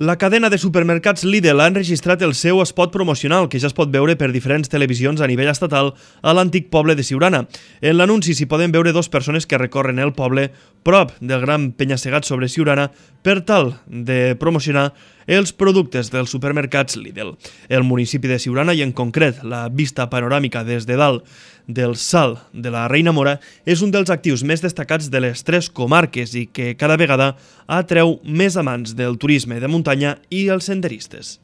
La cadena de supermercats Lidl ha enregistrat el seu spot promocional, que ja es pot veure per diferents televisions a nivell estatal a l'antic poble de Siurana. En l'anunci s'hi poden veure dues persones que recorren el poble prop del gran penya-segat sobre Siurana per tal de promocionar els productes dels supermercats Lidl. El municipi de Siurana, i en concret la vista panoràmica des de dalt del Salt de la Reina Mora, és un dels actius més destacats de les tres comarques i que cada vegada atreu més amants del turisme de muntanya i els senderistes.